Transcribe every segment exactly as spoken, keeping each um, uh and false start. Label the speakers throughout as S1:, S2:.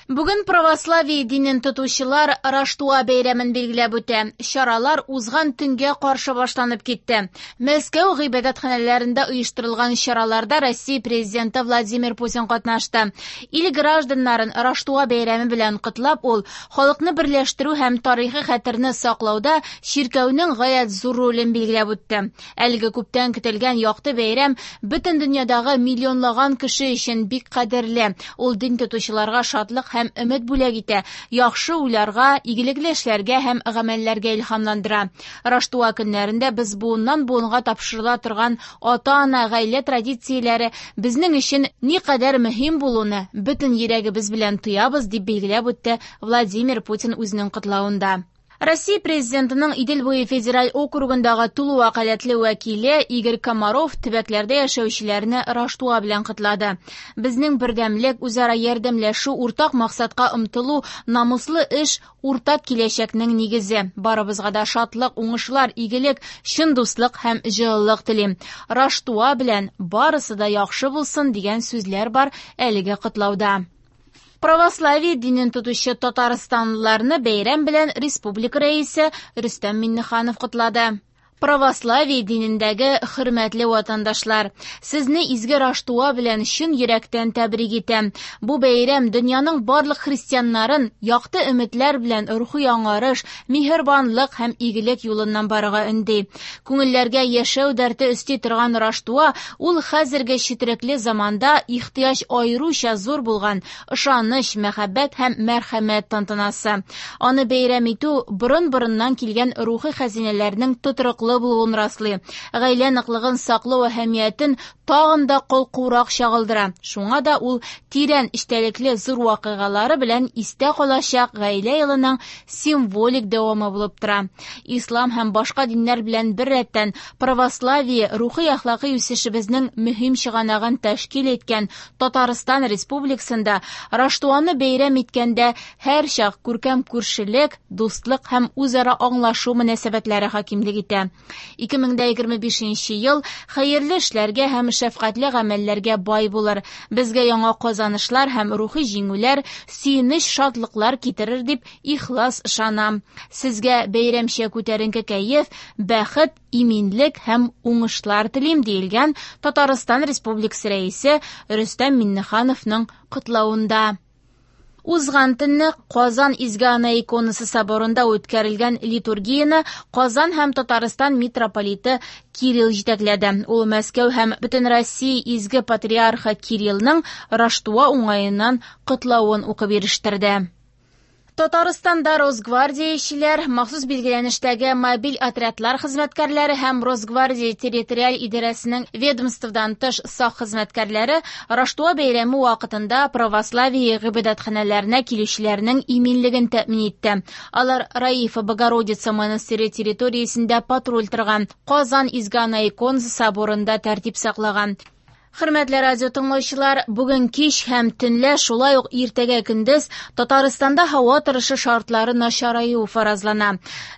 S1: Бүген православие динен тотучылар Раштуа бәйрәмен билгеләп үтә. Чаралар узган төнгә каршы башланып китте. Мәскәү гыйбадәтханәләрендә оештырылган чараларда Россия Президенты Владимир Путин катнашты. Ил гражданнарын Раштуа бәйрәме белән котлап, ул халыкны берләштерү һәм тарихи хәтерне саклауда чиркәүнең гаять зур ролен билгеләп үтте. Әлеге күптән көтелгән якты бәйрәм бөтен дөньядагы миллионлаган кеше өчен бик кадерле. Ул дин тотучыларга шатлык һәм өмет бүләк итә, яхшы уйларга, игелекле эшләргә һәм гамәлләргә илһамландыра. Раштуа көннәрендә без буыннан буынга тапшырыла торган ата-ана, гаилә традицияләре безнең өчен никадәр мөһим булуны бөтен йөрәгебез белән тоябыз, дип билгеләп үтте Владимир Путин үзенең котлавында. Россия Президентының Идел буе федераль округындагы тулы вәкаләтле вәкиле Игорь Комаров төбәкләрдә яшәүчеләрне Раштуа белән котлады. Безнең бердәмлек, үзара ярдәмләшү, уртак максатка омтылу, намуслы эш, уртак киләчәкнең нигезе. Барыбызга да шатлык, уңышлар, игелек, чын дуслык һәм җылылык телим. Раштуа белән барысы да яхшы булсын дигән сүзләр бар әлеге котлауда. Православие динен тотучы татарстанлыларны бәйрәм белән республика рәисе Рөстәм Миңнеханов котлады. Православие динендәге хөрмәтле ватандашлар, сезне изге Раштуа белән чын йөрәктән тәбрик итәм. Бу бәйрәм дөньяның барлык христианнарын якты өметләр белән рухи яңарыш, миһербанлык һәм игелек юлыннан барырга өнди. Күңелләргә яшәү дәрте өсти торган Раштуа ул хәзерге четерекле заманда ихтыяҗ аеруча зур булган ышаныч, мәхәббәт һәм мәрхәмәт тантанасы. Аны бәйрәм итү борын-борыннан килгән рухи хәзинәләрнең тотрыклы булуын раслый. Гаилә ныклыгын саклау әһәмиятен тагын да калкурак чагылдыра. Шуңа да ул тирән эчтәлекле зур вакыйгалары белән истә калачак гаилә елының символик дәвамы булып тора. Ислам һәм башка диннәр белән бер рәттән православие рухи әхлакый үсешебезнең мөһим чыганагын тәшкил иткән Татарстан Республикасында Раштуаны бәйрәм иткәндә һәрчак күркәм күршелек, дуслык һәм үзара аңлашу мөнәсәбәтләре хакимлек итә. ике мең дә егерме бишенче ел хәерле эшләргә һәм шәфкатьле гамәлләргә бай булыр. Безгә яңа казанышлар һәм рухи җиңүләр, сөенеч, шатлыклар китерер дип ихлас ышанам. Сезгә бәйрәмчә күтәренке кәеф, бәхет, иминлек һәм уңышлар телим, диелгән Татарстан Республикасы Рәисе Рөстәм Миңнехановның котлавында. Узган төнне Казан Изге Ана иконасы соборында үткәрелгән литургияне Казан һәм Татарстан митрополиты Кирилл җитәкләде. Ул Мәскәү һәм бөтен Россия Изге Патриархы Кириллның Раштуа уңаеннан котлавын укып ирештерде. Татарстанда Росгвардиячеләр, махсус билгеләнештәге мобиль отрядлар хезмәткәрләре һәм Росгвардия территориаль идарәсенең ведомстводан тыш сак хезмәткәрләре Раштуа бәйрәме вакытында православие гыйбадәтханәләренә килүчеләрнең иминлеген тәэмин итте. Алар Раифа Богородица монастыре территориясендә патруль торган, Казан Изге Ана иконасы соборында тәртип саклаган. Хөрмәтле радио тыңлаучылар, бүген кич һәм төнлә, шулай ук иртәгә көндез Татарстанда һава торышы шартлары начараю фаразлана.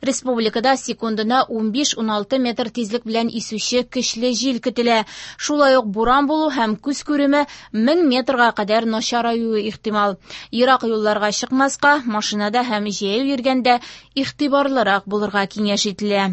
S1: Республикада секундына унбиш-уналты метр тизлек белән исүче көчле җил көтелә. Шулай ук буран булу һәм күз күреме мең метрга кадәр начараюы ихтимал. Ерак юлларга чыкмаска, машинада һәм җәяү йөргәндә игътибарлырак булырга киңәш ителә.